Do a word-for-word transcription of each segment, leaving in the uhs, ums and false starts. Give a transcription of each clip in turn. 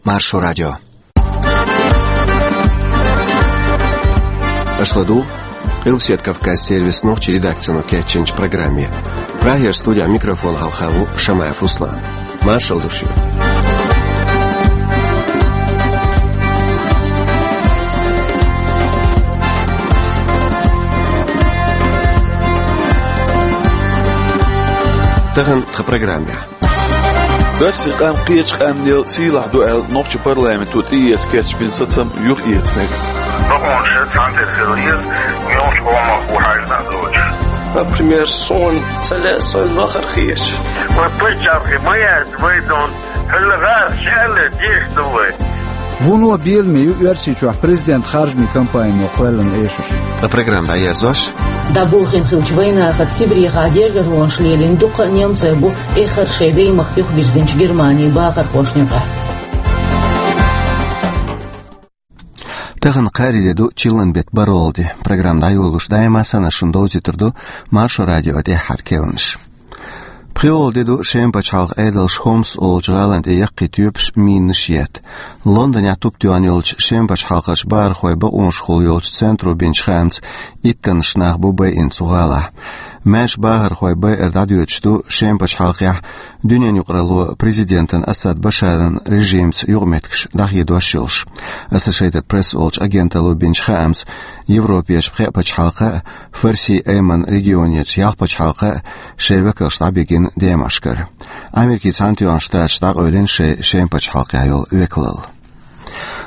Маршо радио. Аша ладугӀу Къилбаседа Кавказ сервисан нохчийн редакцино кечйинчу программе. Прагера студехь микрофон хьалха ву Шамаев Руслан. Маршалла ду шуьга. Тахана тхан программехь. Оьрсийн къам кхечу къаьмнел сийлахь ду аьлла, нохчийн парламенто тӀеэца кечбина сацам юхаэца мега. Бакъонаш цхьаьна тера хила еза, мелхачу къомах ву хьаьжна а доцуш. Например, суна ца лаьа, суна вахар хеташ. Вай паччахьалкхе ма яц, вай дон, хӀара гӀара шаьлла деш ду вай. Вуно беламе ю Оьрсийчохь президент харжамийн кампанино кхоьллина эшарш. Ткъа программа дӀаерзош. ДӀаболхийна хиллачу вайнахаца Сибрехахь дегӀаронаша лелийна дуккха а немцой бу эххар шайн даймахка юхабирзинчу Германин бахархошна юкъахь. Тахана кхаарин де ду, чиллан беттан бархӀалгӀа де. Программа дӀайолош даима санна шуна довзуьйтур ду Маршо радион тӀаьххьара керланаш. ПхоьалгӀа де ду, Шеман пачхьалкхан Ӏедалша Хомс олучу гӀалина тӀе яккхий тоьпаш, минаш етта. Лондонехь туп тоьхна йолчу Шеман пачхьалкхерчу бахархойн бакъонашкахула йолчу центро бинчу хаамца, иттаннаш нах бу байина цу гӀалахь. Маьрша бахархой байар дӀадоьдуш ду Шеман пачхьалкхехь дуьненаюкъаралло президентан Асад Башаран режимца юкъаметтигаш дӀахедош йолуш. Associated Press олучу агенталло бинчу хаамца, Европерчу пхеа пачхьалкхан а, Фарсин Айманан регионерчу ялх пачхьалкхан а шайн векалш дӀабигина демашкара. Америкин Цхьаьнатоьхна Штаташ дӀакъевлина шайн Шеман пачхьалкхехь йолу векалалла.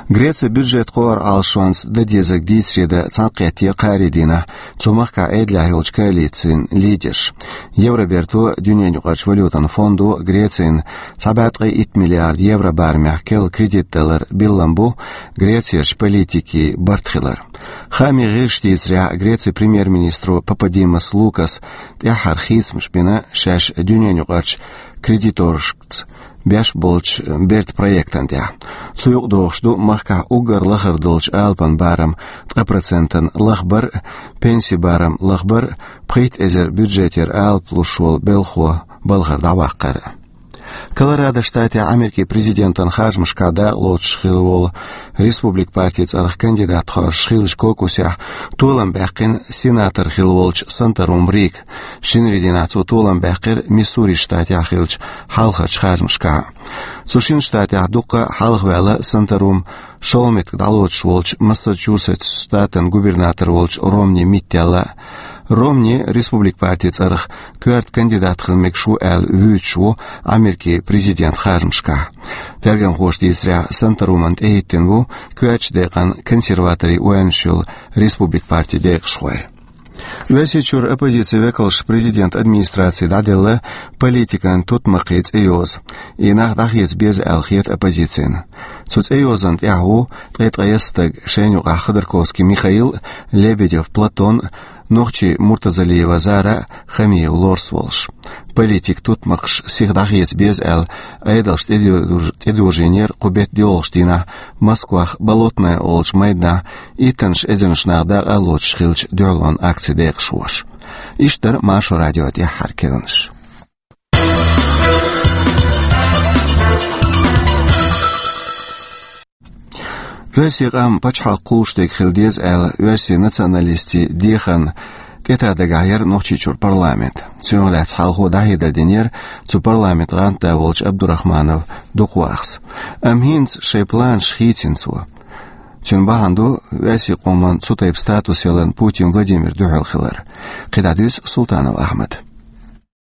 Грецин бюджет кхоар Ӏалашонца дан дезарг дийцаре дан цхьаьнакхетте кхаарин дийнахь цу махкахь Ӏедалехь йолчу коалицин лидерш. Евроберто, Дуьненаюкъарчу валютан фондо Грецина цхьа бӀе ткъе итт миллиард евро барамехь керла кредит далар биллам бу Грецерчу политикийн барт хилар. Хаамийн гӀирсаша дийцарехь, Грецин премьер-министро Пападимос Лукаса тӀаьххьара хийцамаш бина шаьш дуьненаюкъарчу кредиторшца беш болчу бертан проектан тӀехь. Цу юкъадогӀуш ду махкахь уггар лахара долчу алапан барам ткъа процентана лахбар а, пенсийн барам лахбар а, пхийтта эзар бюджетера алапа луш волу белхо балхара дӀаваккхар а. Колорадо штатехь Америкин президентан харжамашкахь дакъа лоцуш хилла волу Республикан партин цӀарах кандидат хоржуш хиллачу кокусехь толам баьккхина сенатор хилла волчу Санторум Рика. Шинарин дийнахь цо толам баьккхира Миссури штатехь хиллачу хьалхарчу харжамашкахь. Цу шина штатехь дуккха а хьалхаваьлла Санторум шолгӀа меттиг дӀалоцуш волчу Массачусетс штатан губернатор волчу Ромни Миттелла. Ромни Республикан партин цӀарах коьрта кандидат хила мегаш ву аьлла вуьйцуш ву Америкин президентан харжамашкахь. Тергамхоша дийцарехь, Санторумна тӀехӀиттина бу коьртачу декъана консерваторийн ойланаш йолу Республикан партин декъашхой. Оьрсийчуьра оппозицин векалша президентан администраци дӀаделла политикан тутмакхийн цӀейоза. И нах дӀахеца беза аьлла хета оппозицина. Цу цӀейозанна тӀехь ву ткъе ткъайесна стаг, шайна юкъахь Ходорковский Михаил, Лебедев Платон, нохчий Муртазалиева Зара, Хамиев Лорс волуш. Политикан тутмакхаш сиха дӀахеца беза аьлла, Ӏедалша тӀедожийна-, тӀедожийнера кху беттан доьалгӀачу дийнахь Москвахь Болотное олучу майданахь иттаннаш эзарнаш нах дакъа а лоцуш хиллачу дуьхьалонан акцин декъашхоша. Иштта дара Маршо радион тӀаьххьара керланаш. Оьрсийн къам пачхьалкх кхуллуш дерг хила деза аьлла, оьрсийн националистийн дехарна тӀетан дагахь яра Нохчийчуьра парламент. Цунах лаьцна хьалхо дӀахьедар динера цу парламентан гӀантда волчу Абдурахманов Дукхвахас. Амма хӀинца шайн планаш хийцина цо. Цуьнан бахьана ду оьрсийн къоман цу тайпа статус яларна Путин Владимир дуьхьал хилар. КхидӀа дуьйцу Султанов Ахьмада.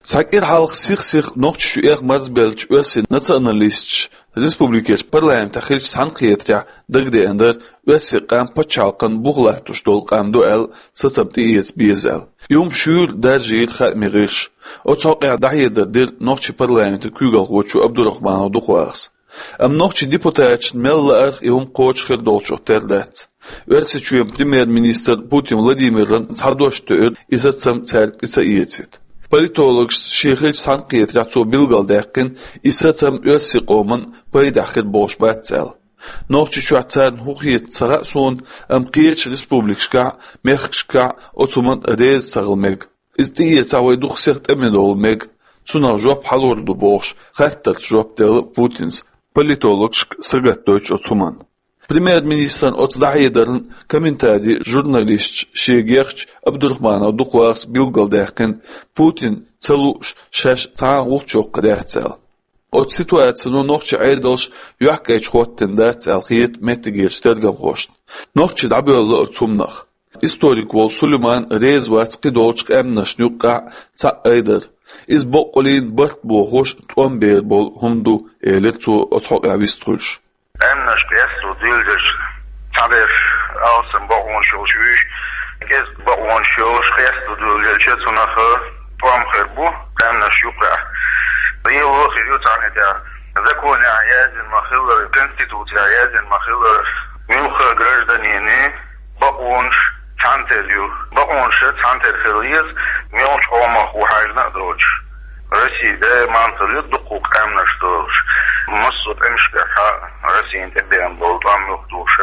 Цхьа кӀира хьалха сих-сиха Нохчийчу эх марзбеллачу оьрсийн националисташа республикерчу парламентехь хиллачу цхьаьнакхетарехь дагадеана дара оьрсийн къам пачхьалкхан бух латтош долу къам ду аьлла, сацам тӀеэца беза аьлла. И хӀума шуьйра даржийра хаамийн гӀирсаша. Оцу хьокъехь дӀахьедар дира нохчийн парламентан куьйгалхочо Абдурахманов Дукхвахас. Амма нохчийн депутаташна мел лаарх и хӀума кхочуш хир долчух тера дац. Оьрсийчоьнан премьер-министр Путин Владимирна цхьа дош тоьура, и сацам цаьрга тӀе ца эцийта. Политологаша шен хиллачу цхьаьнакхетарехь цо билгалдаьккхина, и сацам оьрсийн къоман пайдехь хир болуш бац аьлла. Нохчийчохь царна хӀун хета ца хаьа суна, амма кхечу республикашкахь а, мехкашкахь а оцу хӀуманна реза ца хила мега. Иза тӀеэцахь вай дукха сиха тӀеман долу мега. Цунах жоп хьалур ду бохуш, хаттарца жоп делла Путинс. Политологашка сагатдойтуш оцу хӀуманна. Премьер-министран оцу дӀахьедарна комментари журналисташа шега ехачу Абдурахманов Дукхвахас билгалдаьккхина, Путин ца лууш шаьш цхьа а гӀулч йоккхур яц аьлла. Оцу ситуацино нохчийн Ӏедалш юьхькӀайчу хӀоттийна дац аьлла хета меттигерчу тергамхошна. Нохчий дӀабоьлла оцу хӀуманах. Историк волу Сулейман реза вац кхидолчу къаьмнашна юккъехь цхьаъ айдар. Иза баккъаллин барт бохош тӀом бер болу хӀума ду, элира цо оцу хьокъехь вистхуьлуш. Къаьмнаш къесто дуьйлделча, цхьаберш алсам бакъонаш йолуш вуьйш, кӀезиг бакъонаш йолуш къесто дуьйлделча, цунах тӀом хир бу къаьмнаш юккъехь. Лело хир ю цхьаьна тӀехь. Законехь яздина ма-хиллара, конституцехь яздина ма-хиллара, муьлхха а гражданина бакъонаш цхьаьнатера ю. Бакъонаш цхьаьнатера хила еза, муьлхачу къомах ву хьаьжна а доцуш. Россия даиман хила ю дуккха а къаьмнаш долуш. Массо а къамелашкахь Россина тӀебеана болу тӀом юхадугӀуш,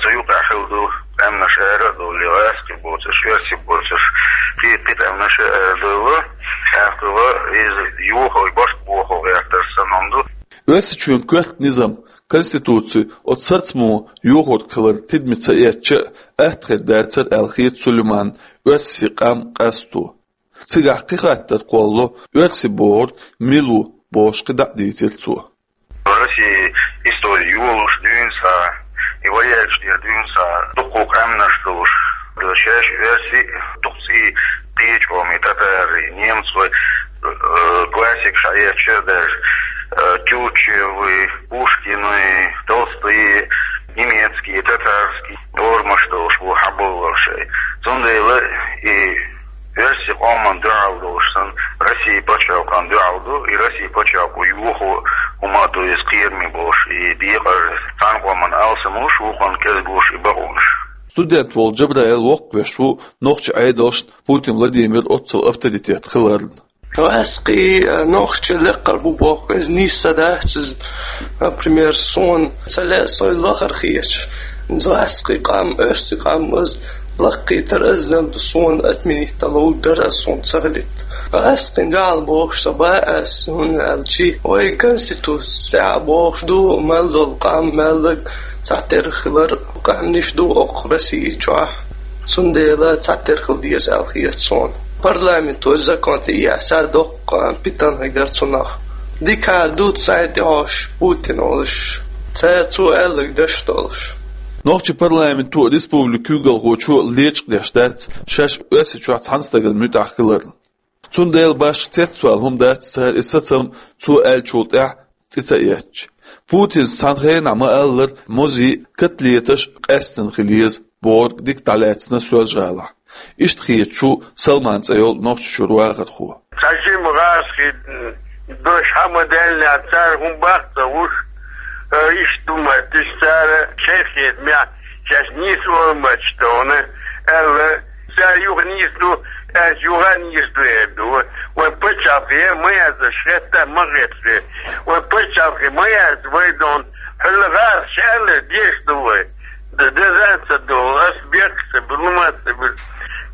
цу юкъахь хилла ду къаьмнаш ара а довлий, гӀаскхий боцурш, оьрсий боцурш, кхин, кхин къаьмнаш а арадовла, тӀаккха иза юха барт бохо гӀертар санна ду. Оьрсийчоьнан коьрта низам, конституци оцу сацамо йохорг хилар тидаме ца эцча а, атта хир дацара аьлла хета Сулейманна оьрсийн къам къасто. Цигахь кхин хаттар кхоллало, оьрси бохург мила ву бохуш кхин дӀа а дийцира цо. Россин истори йолуш дуьйна схьа, и ваьллачу дера дуьйна схьа, дуккха а къаьмнаш долуш, шаьш оьрси, дукха цӀий кхечу къомий, татарий, немций, э, классикаш хьаэцча а даже, э, Тютчевы, Пушкины, Толстые, немецкие, татарские нормаш долуш бу хьаболларш. Цундела и оьрсийн къоман дуьхьал долуш санна, Россин пачхьалкхан дуьхьал ду, и Россин пачхьалкхо юхо хӀума а ду иза кхераме болуш, и декъар цхьана къоман алсам луш, вукхунна кӀезиг луш и бакъонаш. Студент волу Джабраил воккхавеш ву нохчийн Ӏедалшна Путин Владимир оццул авторитет хиларна. ГӀаскхий, э, нохчий лекхар бу боху, иза нийса ца дац иза, например, суна ца лаьа со лахара хеташ. ГӀаскхий къам, оьрсийн къам, иза лакхийтар, иза наб суна отменить дала ву дара, суна ца хилийта. ГӀаскхийн дуьхьал бохуш ца бац ас, хӀунда аьлча вай конституци тӀехь бохуш ду, мел долу къам, меллаг цхьатерра хилар, къаьмнаш ду окху Росси чохь. Цундела цхьатерра хила деза аьлла хета суна. Парламенто закон тӀеэцна, цара доккха питана хир дара цунах. Дика ду цхьаьна тӀехьош Путин олуш. Цара цо аьлларг деш долуш. Нохчийн парламенто республикан куьйгалхочо лечкъадеш дац шаьш Оьрсийчохь цхьана стагана муьтӀахь хиларна. Цундела башха цецвала хӀума дац цара и сацам цо аьллачул тӀаьхьа цӀе ца эцча. Путинс цхьана хенахь ма-аллара, мозий, котлеташ къаьстина хила еза бохург дика дӀалаьцна Соьлжа-ГӀалахь. Иштта хеташ ву Салман цӀе йолу Нохчийчуьра вахархо. Цхьа жима гӀазкхий дош хьа ма-даьллинехь, цара хӀума баккха ца луш, э, иштта ду моттуш, цара шайх хетамехь шаьш нийса олу моттуш тхуна, аьлла, цара юха нийса ду, аьлча юха а нийса ду эр ду. Вайн пачхьалкхе ма яц, шаьш хетта ма хетта. Вайн пачхьалкхе ма яц, вай дон, хьуьлла гӀазкхаша аьлла, деш ду вай. Д-, деза ца долу, ас бехк ца бу, лума ца бу.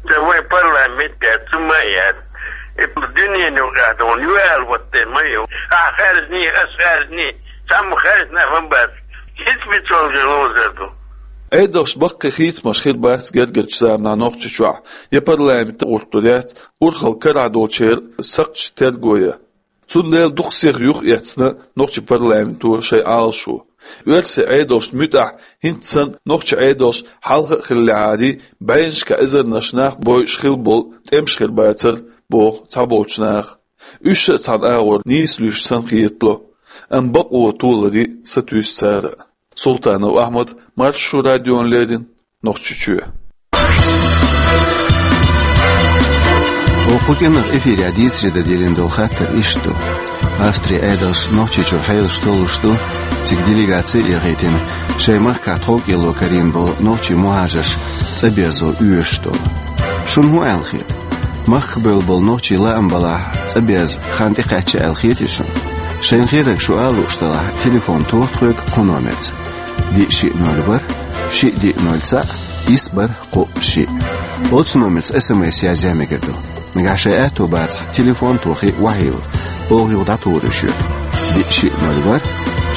Ца вай парламент яц, цу ма яц. И дуьненан юкъахь долу, ю аьлла, вот те ма ю. Ахь хаьржиний, ас хаьржиний, цхьамма хаьржина хӀума бац. ХӀинца мича валжа ловзар ду. Ӏедалшна баккхий хийцамаш хир бац гергарчу заманахь Нохчийчохь, я парламент гӀуртур яц, урхалла карахь долчеран сакхташ терго ян. Цундела дукха сиха юхаэцна нохчийн парламенто шайн Ӏалашо. Оьрсийн Ӏедалшна муьтӀахь хӀинца санна нохчийн Ӏедалш хьалха а хиллехьарий, бӀеннашкахь эзарнаш нах бойуш хилла болу тӀемаш хир бацара, боху цхьаболчу наха. Уьш а цхьана агӀор нийса луьйш санна хетало, амма бакъо толарий сатуьйсу цара а. Султанов Ахьмад, Маршо радиона леррина, Нохчийчоь. Оха кху кӀиранах эфирехь дийцаре дан диллина долу хаттар иштта ду. Австрин Ӏедалша Нохчийчуьра хьелаш толлуш ду, цига делегаци а яхийтина, шайн махкахь тховкӀело карийна болу нохчийн мухӀажарш цӀа беззо оьшуш долу. Шуна хӀун аьлла хета? Махках бевлла болу нохчий лаам балахь цӀа безза хан тӀекхаьчна аьлла хетий шуна? Шайна хетарг шу ала лууш делахь, телефон тоха тхоьга кху номерца: диъ шиъ ноль ворхӀ, шиъ диъ ноль цхьаъ, исс бархӀ кхоъ шиъ. Оцу номерца СМС язъян мегар ду. Нагахь шайн аьтто бацахь, телефон тохий, охьайилла. Оха юха дӀатухур ю шуьга. Диъ шиъ ноль ворхӀ,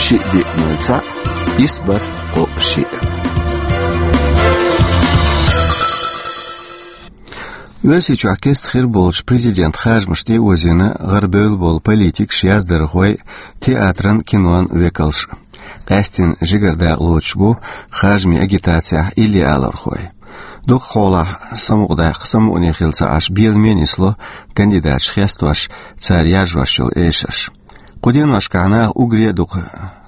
шиъ диъ нуль цхьаъ, исс бархӀ кхоъ шиъ. Оьрсийчохь кеста хир болчу президент харжамаш тӀе а озийна гӀарабевлла болу политикаш, яздархой, театран, кинон векалш. Къаьсттина жигара дакъа лоцуш бу харжамийн агитацехь илли алархой. Дукха хьолахь самукъадаккха самукъане хила ца Ӏаш, беламе нисло кандидаташ хестош, цара яржош йолу эшарш. Кху деношкахь наха уггаре а дукха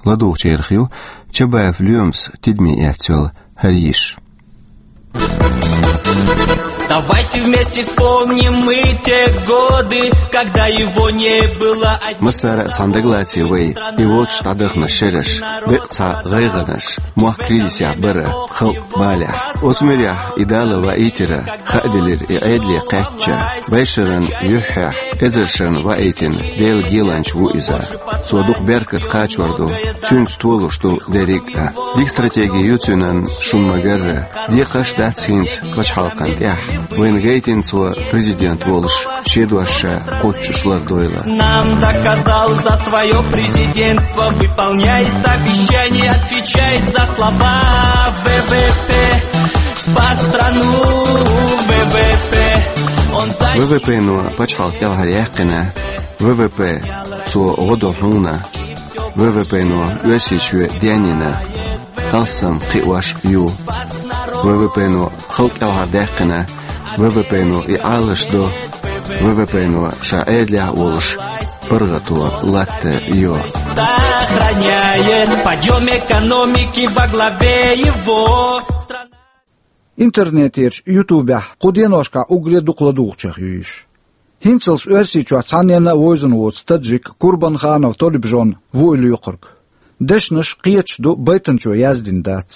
ладугӀучарах ю Чабаев Лоьмас тидаме эцна йолу хӀара йиш. Давайте вместе вспомним мы те годы, когда его не было. Массара а цхьаьна дагалаций вай, и воцуш дӀадаханарш шераш, бекъа цхьа гӀайгӀанаш, мохк кризисехь бара, халкъ балехь. Оцу муьрехь и Дала ваийтира, хааделира и Ӏедале кхаьчча, бӀешеран юьххьехь эзаршна ваийтина Делан геланча ву иза. Цо дукха беркат кхачор ду, цуьнца толуш ду дерриг а. Дика стратеги ю цуьнан, шуна ма-гарра. Декхарш дац хӀинца пачхьалкхан тӀехь. Вайна гайтина цо президент волуш, шен дош ша кхоччуш лардойла. Нам доказал за своё президентство, выполняет обещания, отвечает за слова. В В П, спас страну, В В П. Он В В П-но пачхьалкх кӀелхьаряьккхина, В В П цо гӀо до хьуна, В В П-но Оьрсийчоь денйина, алссам кхиош ю. В В П-но халкъ кӀелхьардаьккхина, В В П-но и Ӏалаш до, В В П-но ша Ӏедалехь а волуш паргӀато латта йо. Сохраняет подъём экономики во главе его страны. Интернетерчу Ютубехь кху деношкахь уггаре дукха ладугӀучех ю йиш. ХӀинцалц Оьрсийчохь цхьанненна а вевзина воцу таджик Курбанханов Толибжон ву и лоькхург. Дешнаш кхеташ ду, байтанчо яздина дац.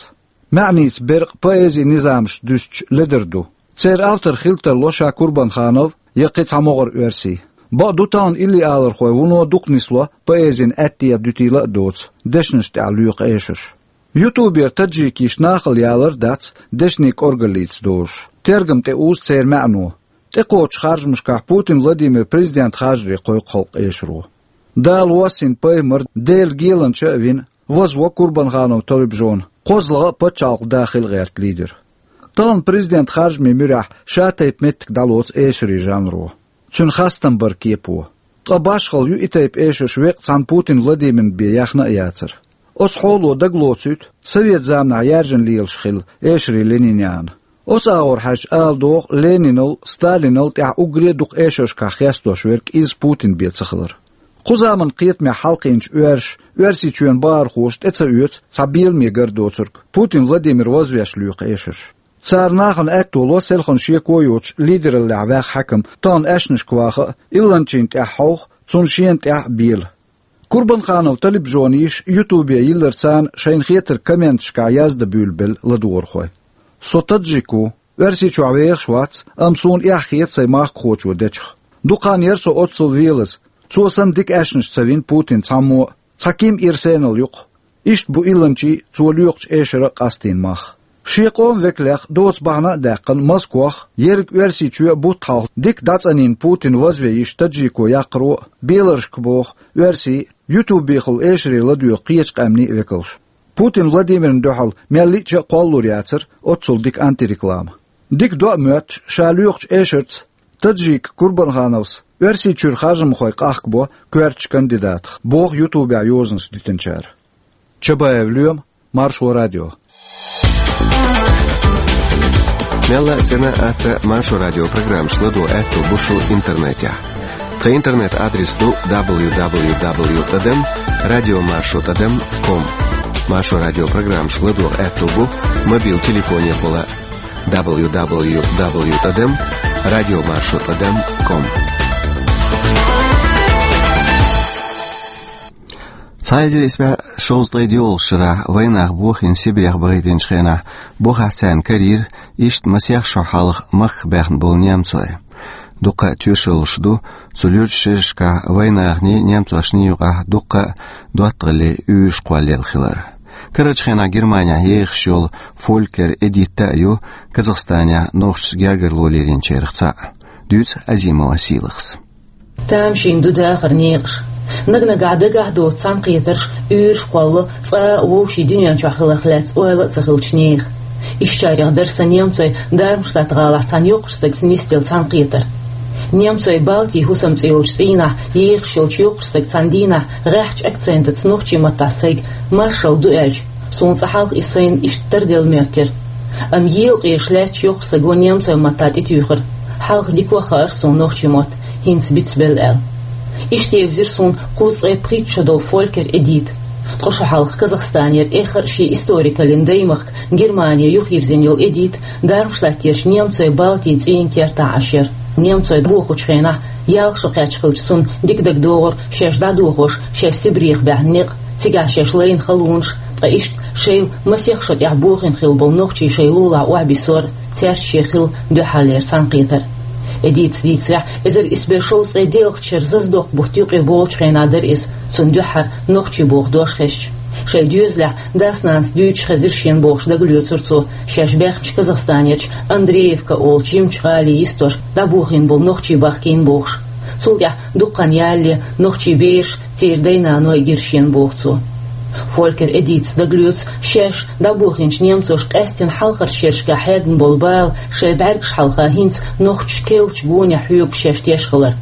МаьӀница беркъа поэзин низамаш дуьстича ледара ду. Церан автор хила тарло ша Курбанханов я кхин цхьа могӀара оьрси. Бакъду, тахана илли алархой вуно дукха нисло поэзин аьттехьа дуьтийла а доцу дешнаш тӀехь лоькху эшарш. Ютубера таджикийн нахала ялар а дац дешнийн кӀоргаллица дозуш, тергам тӀе узу церан маьӀно. ТӀекхочучу харжамашкахь Путин Владимир президент харжаре кхойкху халкъ эшаро. Дала воссийна пайхамар Делан геланча а вина, вазво Курбанханов Толибжон, кхозлагӀа а пачхьалкх дахийла гӀерта лидер. Тахана президент харжамийн муьрехь шатайпа меттиг дӀалоцу эшарийн жанро. Цуьнан хастам бар кепо. Ткъа башхалла ю и тайпа эшарш векъа цхьана Путин Владимирна бен яхна а яцара. Оцу хьоло дагалоцуьйту совет заманахь яьржина лелаш хилла эшарийн Ленинан. Оцу агӀор хьаьжча ала догӀу Ленинал, Сталинал тӀехь уггаре а дукха эшаршкахь хестош верг иза Путин бен ца хилар. Кху заман кхетамехь хьалакхиъначу оьрша, Оьрсийчоьнан бахархоша тӀе ца оьцу цхьа беламе гар доцург Путин Владимир вазвеш лоькху эшарш. Цара нахана аьтто ло селхана шеко йоцуш лидераллехь ваьхна хьаькам тахана аьшнашка ваха а, илланчийн тӀехь хьовха, цунна шена тӀехь а бела. Курбанханов Талибжона йиша Ютубе йилларца шайна хетарг комменташкахь яздан буьйлабелла ладугӀурхой. Со таджик ву, Оьрсийчохь вехаш вац, амма суна эхь хета сайн махкахочо дечух. Дукха хан яра со оццул велаза. Цо санна дика аьшнаш ца вина Путина цхьаммо а, цхьа ким ирсенал юкъа. Иштта бу илланчийн, цо лоькхучу эшаран а къастийна мах. Шен къоман векалех доцу бахьана а даьккхина, Москох ерриг Оьрсийчоь а бутт хьалха дика дӀацӀанйина Путин вазве йиш таджико яккхаро а, беларшка боху, оьрсийн а, ютубехула эшаре ладоьгӀу кхечу къаьмнийн а векалш. Путин Владимирна дуьхьал мел лиъча а кхоллалур яцара оццул дика антиреклама. Дика до а моьттуш, ша лоькхучу эшарца таджик Курбанхановс Оьрсийчуьра харжамхой къахкабо коьртачу кандидатах, боху ютубехь йозанаш дитинчара. Чабаев Лоьма, Маршо радио. Мелла а цӀена а, атта а Маршо радио программаш ладогӀа аьтто бу шун интернетехь. Тхан интернет-адрес ду дабл ю дабл ю дабл ю тӀадам радио маршо тӀадам ком. Маршо радио программаш ладогӀа аьтто бу мобил телефонехула дабл ю дабл ю дабл ю тӀадам радио маршо тӀадам ком. Цхьа эзар исс бӀе шовзткъе доьалгӀачу шарахь вайнах бохийна Сибрех бахийтинчу хенахь, бохахь царна карийра иштта масех шо хьалха махках баьхна болу немцой. Дуккха а тоьшаллаш ду, цу луьрачу шерашкахь вайнахний, немцошний юкъахь дуккха а доттагӀаллин уьйраш кхоллаелла хилар. Карарчу хенахь Германехь ехаш йолу Фолькер Эдитта а ю Казахстанехь нохчашца гергарло лелийначарах цхьаъ. Дуьйцу Азимова Сийлахьас. Тамашийна ду дахаран некъаш. Наг-нагахь дагахь доцу цхьаьнакхетарш уьйраш кхоллало цкъа а вовшийн дуьнен чохь хиларх лаьцна ойла а ца хиллачу нехан. Ишттачарех дара сан немцойн Дармштадт-гӀалахь цхьана йоккхачу стагца нисделла цхьаьнакхетар. Немцойн Балтийн хӀусам цӀе йолчу цӀийнахь ехаш йолчу йоккхачу стага цхьана дийнахь гӀеххьачу акцентаца нохчийн маттахь сайга маршалла ду аьлча, суна цкъа хьалха иза сайна иштта тарделла моьттира. Амма елакъераш лаьтташ йоккхачу стага немцойн маттахь тӀетуьйхира: «Хьалха дика а хаьара суна нохчийн мотт, хӀинца бицбелла», — аьлла. Иштта евзира суна кхузткъе пхийтта шо долу Фолькер Эдита. Ткъа шо хьалха Казахстанера эххар а шен историкаллин даймахка Германе юхайирзина йолу Эдита Дармштадтерчу немцойн Балтийн цӀийнан кертахь Ӏаш яра. Немцой бохучу хенахь ялх шо кхаьчна хилча, цунна дика дагадогӀура шаьш дӀадохош, шаьш Сибрех баьхна некъ, цигахь шаьш лайна халонаш, ткъа иштта шайл масех шо тӀехь бохийна хилла болу нохчий шайн лулахь охьабиссор, цаьрца шен хилла дуьххьарлера цхьаьнакхетар. Эдитас дийцарехь, эзар исс бӀе шовзткъе диъалгӀачу шеран зазадоккху бутт юкъе болчу хенахь дара иза, цунна дуьххьара нохчий боху дош хезча. Шайн доьзалехь дас-нанас дуьйцуш хезира шена бохуш дагалоьцура цо шаьш баьхначу Казахстанерчу Андреевка олучу жимачу гӀалин йистош дӀабохийна болу нохчий бахкийна бохуш. Цул тӀаьхьа дуккха хан ялале нохчий бераш, церан дай-наной гира шена боху цо. Фолькер Эдитас дагалоьцу шаьш дӀабохийначу немцоша къаьстина хьалхарчу шерашкахь хьегна болу бала шайн бӀаьргаш хьалха хӀинца нохчаша керлачу гонехь хьоьгуш шаьш теш хилар.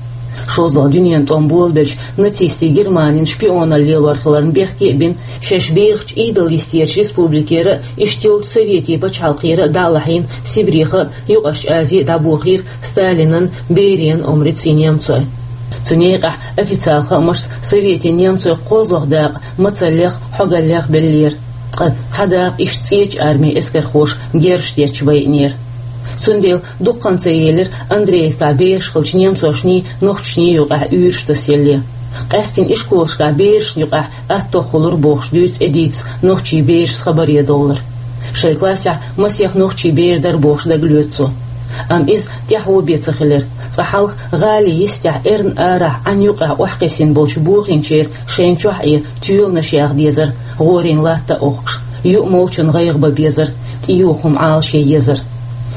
ШолгӀа дуьненан тӀом болабелча нацистийн Германин шпионалла лелор хиларна бехке а бина, шаьш бехачу Ӏедал йистерчу республикера а, иштта йолчу Советийн пачхьалкхера а дӀа а лахьийна, Сибреха а, Юккъерчу Азе а дӀабохийра Сталинан, Бериан омрица и немцой. Цу некъахь официалан хаамашца Советийн немцойн кхозлагӀа дакъа мацаллех, хьогаллех беллера, ткъа цхьа дакъа иштта ЦӀечу армин эскархоша герзаш детташ байинера. Цундела дуккха хан ца елира Андреевкахь бехаш хиллачу немцошний, нохчашний юкъахь уьйраш тасъялале. Къаьстина ишколашкахь берашна юкъахь аттох хуьлура бохуш дуьйцу Эдитас нохчийн берашца хабаре довлар. Шайн классехь масех нохчий бер дара бохуш дагалоьцу цо. Амма иза тӀаьхьо бен ца хилира. Цкъа хьалха гӀалин йистехь эрна арахь Ӏан юкъахь охьакхиссина болчу бохийначеран шайна чохь Ӏе тоьланаш яха дезара, гӀорийн латта а охкуш, юа молчун гӀайгӀа бан безара, тӀеюху хӀума Ӏалашъян езара.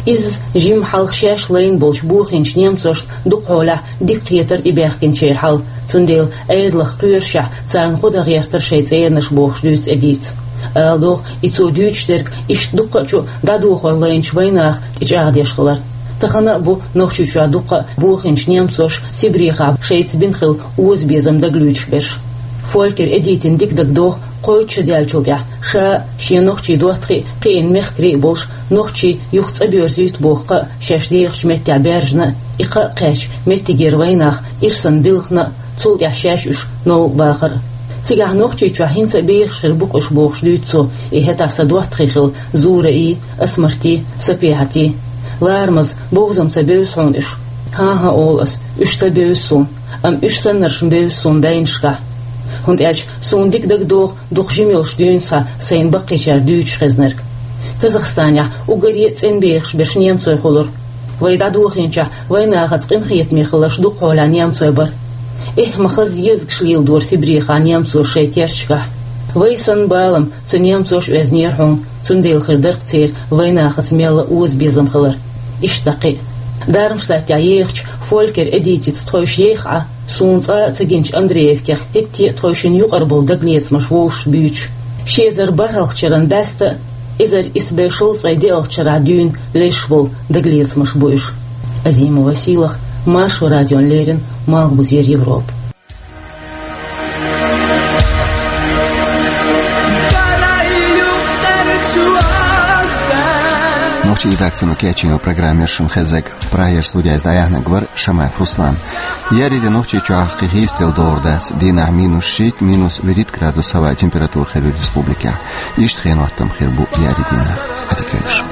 Изза жимма хьалха шаьш лайна болчу бохийначу немцошна дукха хьолахь дика кхетара тӀебаьхкинчеран хьал, цундела Ӏедалах кхоьрушехь царна гӀо дан гӀертара шайн цӀеранаш бохуш дуьйцу Эдитас. Ала догӀу, и цо дуьйцуш дерг иштта дуккха а чу дӀадохор лайначу вайнаха тӀечӀагӀдеш хилар. Тахана а бу Нохчийчохь дуккха а бохийначу немцоша Сибрехахь шайца бина хилла озабезам дагалоьцуш берш. Фолькер Эдитина дика дагадогӀу, кхойтта шо даьллачул тӀаьхьа ша а, шен нохчийн доттагӀий а кхиъна мехкарий а болуш, нохчий юха цӀа боьрзуьйту боху кхаъ шаьш дехачу меттехь баьржина а, и кхаъ кхаьчча меттигера вайнах ирсана билхина а, цул тӀаьхьа шаьш уьш новкъа бахар а. Цигахь Нохчийчохь хӀинца а бехаш хир бу-кх уьш бохуш дуьйцу цо, и хӀетахь сан доттагӀий хилла Зураи, Асмарти, Сапехьати. Ларамаза, бовзам ца бевза хьуна уьш? ХӀан-хӀа, олу ас, уьш ца бевза суна, амма уьш саннаршна бевза суна бӀеннашкахь. ХӀунда аьлча суна дика дагадогӀу дукха жима йолуш дуьйна схьа сайна баккхийчара дуьйцуш хезнарг. Казахстанехь уггаре а цӀена бехаш берш немцой хуьлура. Вай дӀадохийначохь вайнахаца къинхетаме хилларш дукха хьолахь немцой бара. Эхь, ма хаза езагаш леладора Сибрехахь немцоша шайн керташкахь. Вай санна балам цу немцоша оьзнера хьуна, цундела хир дара-кх церан вайнахаца мелла а озабезам хилар. Иштта кхин а. Дармштадтехь ехачу Фолькер Эдитица тхойша еххьа, суна цкъа а ца гиначу Андреевкех хӀетте а тхойшинна юкъара болу дагалецамаш вовшашца буьйцуш. Ши эзар бархӀалгӀачу шеран бӀаьста а, эзар исс бӀе шовзткъе диъалгӀачу шарахь дуьйна лезаш болу дагалецамаш бу уьш. Азимова Сийлаха, Маршо радиона леррина, Малхбузера Европа. Нохчийн редакцино кечйина программа яра шуна хезнарг. Прагера студехь дӀаяьхьнарг вара Шамаев Руслан. Еарин де Нохчийчохь кхин хӀинцалц догӀур дац, дийнахь минус шийтта, минус вуьрхӀитта градус хӀаваан температура хир ю республикехь. Иштта хенан хӀоттам хир бу еарин дийнахь. Ӏадика йойла шун.